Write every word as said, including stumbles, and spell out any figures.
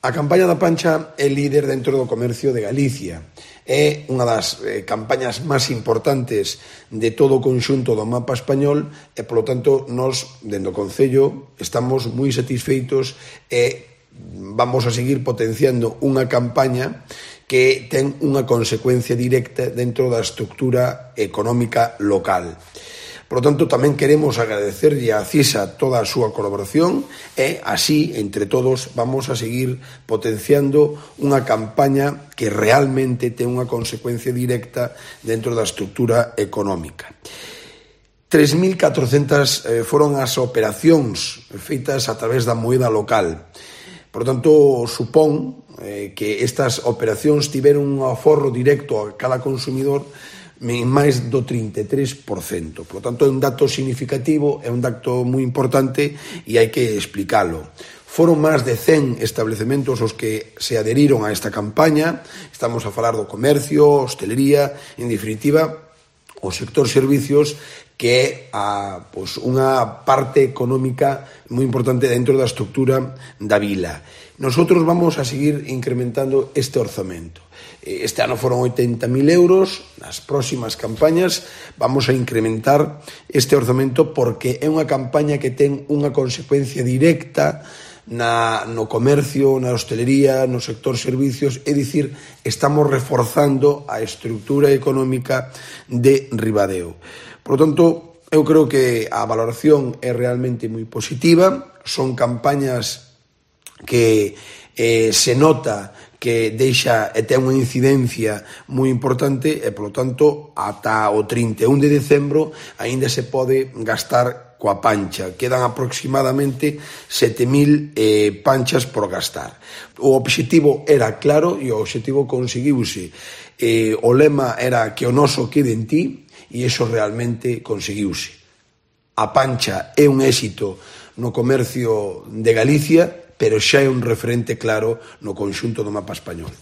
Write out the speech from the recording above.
A campaña da Pancha é líder dentro do comercio de Galicia. É unha das eh, campañas máis importantes de todo o conxunto do mapa español e, polo tanto, nós, dentro do Concello, estamos moi satisfeitos e vamos a seguir potenciando unha campaña que ten unha consecuencia directa dentro da estructura económica local. Por lo tanto, tamén queremos agradecerlle a CISA toda a súa colaboración e, así, entre todos, vamos a seguir potenciando unha campaña que realmente ten unha consecuencia directa dentro da estructura económica. tres mil catrocentas eh, foron as operacións feitas a través da moeda local. Por tanto, supón eh, que estas operacións tiveron un aforro directo a cada consumidor en máis do trinta e tres por cento. Por lo tanto, é un dato significativo, é un dato moi importante e hai que explicalo. Foron máis de cen establecementos os que se adheriron a esta campaña. Estamos a falar do comercio, hostelería, en definitiva, o sector servicios, que é a, pues, unha parte económica moi importante dentro da estructura da vila. Nosotros vamos a seguir incrementando este orzamento. Este ano foron oitenta mil euros, nas próximas campañas vamos a incrementar este orzamento porque é unha campaña que ten unha consecuencia directa na, no comercio, na hostelería, no sector servicios, é dicir, estamos reforzando a estructura económica de Ribadeo. Por lo tanto, eu creo que a valoración é realmente moi positiva, son campañas que eh, se nota que deixa e ten unha incidencia moi importante e, polo tanto, ata o trinta e un de decembro aínda se pode gastar coa Pancha. Quedan aproximadamente sete mil eh, panchas por gastar. O obxectivo era claro e o obxectivo conseguiuse. Eh, o lema era que o noso quede en ti e iso realmente conseguiuse. A Pancha é un éxito no comercio de Galicia, pero xa é un referente claro no conxunto do mapa español.